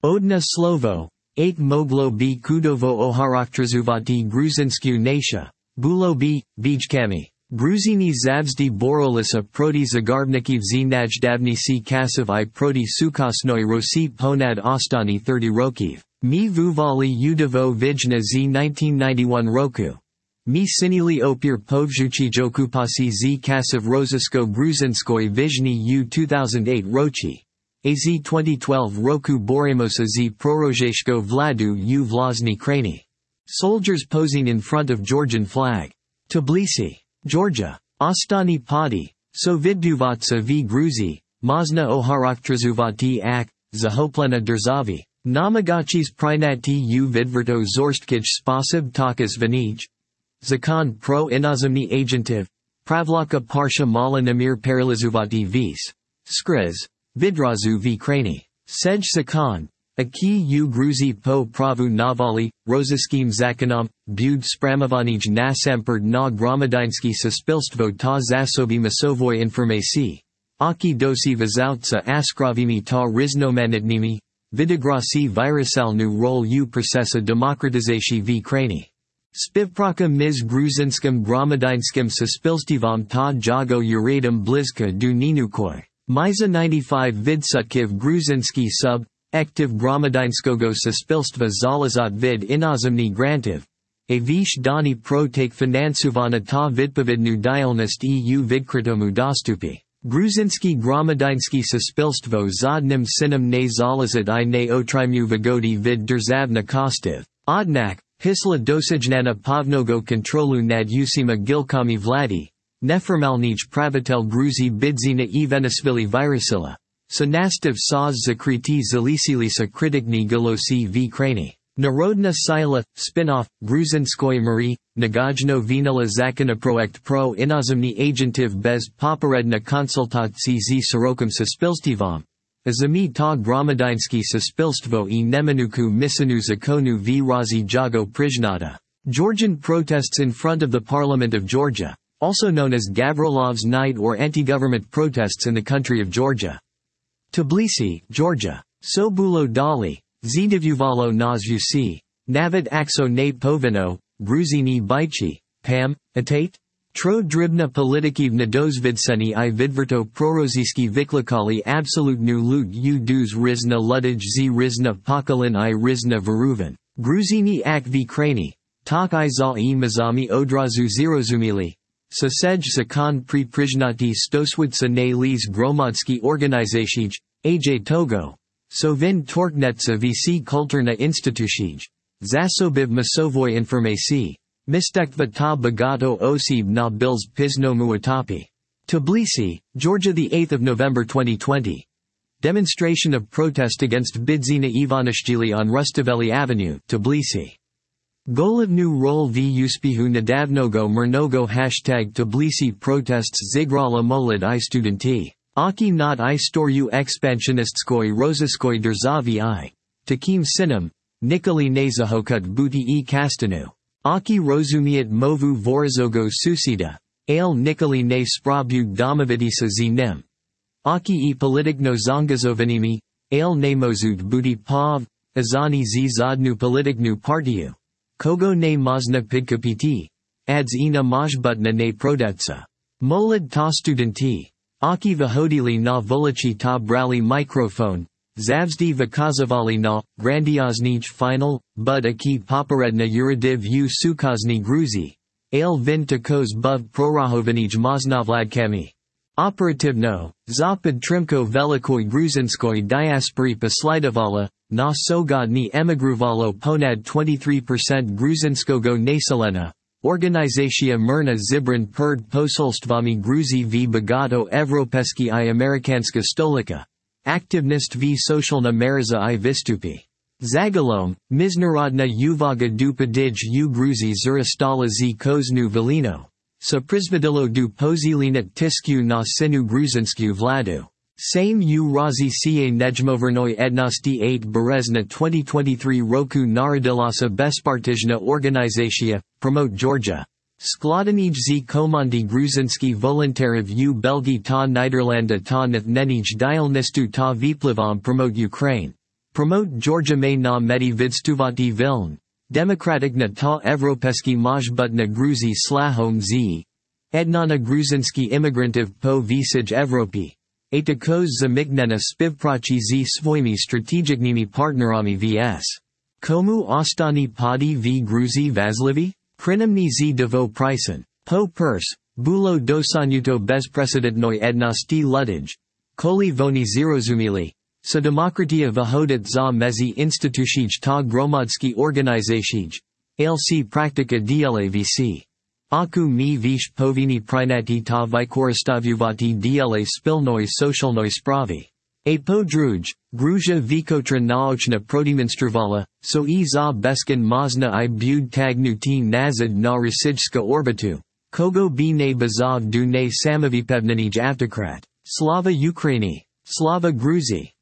Odna slovo, 8 moglo b kudovo ocharakterizувати Gruzinsku nation, було b, bijkami. Gruzini zavzdy borolisa proti zagarbnikів zі najdavnіші kasів I proti sukasnoi Rossi ponad ostani 30 rokів. Mi vuvali udivo vijna z 1991 roku. Mi sinili opir povjuchi jokupasi z kasiv rozisko gruzinskoi vizhny u 2008 rochi. Az 2012 roku borimosa z prorozheshko vladu u vlasny krani. Soldiers posing in front of Georgian flag. Tbilisi, Georgia. Ostani Padi, Sovidduvatsa v Gruzi, Mazna oharaktrzuvati ak, Zahoplena Derzavi. Namagachis prinati u vidverto zorstkij spasib takas vanij. Zakon pro inazimni agentiv. Pravlaka parsha mala namir paralizuvati vis. Skriz. Vidrazu v krani. Sej Sakon. Aki u Gruzi po pravu navali, roziskim zakonom, bud spramovanij nasemperd na gromadinski suspilstvo ta zasobi masovoi informasi. Aki dosi vizautsa askravimi ta riznomanitnimi. Vidigrasi virusalnu rol u procesa demokratizacji v krani. Spivpraka mis gruzinskim gromadinskim suspilstivom ta jago uradum blizka du ninukoi. Miza 95 vidsutkiv gruzinski sub, ektiv gromadinskogo suspilstva zalazat vid inazimni grantiv. A vish dani pro take finansuvana ta vidpavidnu dialnist eu vidkritomu dostupi. Gruzinski gromadinski suspilstvo zadnim sinem ne zalazat I ne otrimu vigodi vid derzavna kostiv. Odnak, hisla dosijnana pavnogo kontrolu nad usima gilkami vladi. Neformalnij pravitel Gruzi bidzina evenisvili virusila. Sanastiv saz zakriti zalisilisa kritikni galosi v krani. Narodna sila, spin-off, Gruzinskoy Marie, Nagajno Vinila Zakona Proekt pro inazimni agentiv bez poperedna konsultacji z Sorokum suspilstivom. Azami ta gromadinski suspilstvo I nemanuku misanu zakonu v razi jago priznata. Georgian protests in front of the Parliament of Georgia, also known as Gavrilov's Night or anti-government protests in the country of Georgia. Tbilisi, Georgia. Sobulo Dali, Zdivuvalo Nazvusi, Navid Akso ne Povino, Gruzini Bichi, Pam, Atate? Tro dribna politikivna dozvidseni I vidverto proroziski viklikali absolutnu lut u duz rizna ludij z rizna pokolin I rizna veruvan. Gruzini ak v krani, tak I za I mazami odrazu zirozumili. Sasej zakon pri priznati stoswidsa ne liz gromadski organizashij, aj togo. Sovin torknetsa vc kulturna institushij. Zasobiv masovoi informasi. Mistekva ta bagato osib na bils pizno muatapi. Tbilisi, Georgia 8 November 2020. Demonstration of protest against Bidzina Ivanishvili on Rustaveli Avenue, Tbilisi. Golivnu rol v uspihu nadavnogo murnogo #Tbilisi protests zigrala molid I studenti. Aki not I storu expansionistskoi roziskoi derzavi I. Takim sinem, Nikoli nezahokut buti e kastanu. Aki rozumiat movu vorizogo susida. Ale Nikoli ne sprabug domovidisa zinem. Aki e politikno zongazovanimi, ale ne mozud buti pav, azani z zadnu politiknu partiu. Kogo ne mazna pidkapiti. Ads ina majbutna ne prodetsa. Molid ta studenti. Aki vahodili na volichi ta brali microphone. Zavzdi vikazavali na, grandioznij final, bud aki poperedna uradiv u sukazni gruzi. Ale vin takos buv prorahovinij maznavladkami. Operativno, zapad trimko velikoi gruzinskoi diaspori poslidovala, na sogodni emigruvalo ponad 23% gruzinskogo naselena. Organizacja Mirna Zibran Perd Posolstvami Gruzi v Bogato Evropeski I Amerikanska Stolika. Aktivnist v Socialna Meriza I Vistupi. Zagalom, Miznarodna Uvaga Dupadij u Gruzi Zuristala z Koznu Velino. Sa prizvodilo du pozilinat tisku na sinu gruzinsku vladu. Same u razi ca nejmovernoi ednosti 8 berezna 2023 roku narodilasa bespartijna organizacija, promote Georgia. Skladonij z komandi gruzinski voluntariv u Belgi ta Niderlanda ta nathnenij dialnistu ta viplivom promote Ukraine. Promote Georgia may na medi vidstuvati viln. Demokratik na ta evropeski majbut na Gruzi slahom z. Edna na gruzinski imigrantiv po visij Evropi. A takoz zamignena spivprachi z svojimi strategicnimi partnerami vs. Komu ostani padi v Gruzi vazlivi? Krinimni z devo prisen. Po pers, bulo dosanuto bezprecedentnoj ednosti ludij. Koli voni zirozumili. Sa demokratia vyhodit za mezi institucij ta gromadski organizacij. Alc praktika dla vc. Aku mi vish povini prinati ta vikoristavuvati dla spilnoj socialnoj spravi. A po druj, Gruzia vikotra naochna protiminstruvala, so I za beskin mazna I bud tagnuti nazad na rasijska orbitu. Kogo b ne bazov du ne samavipevnenij avtokrat. Slava Ukraini. Slava Gruzi.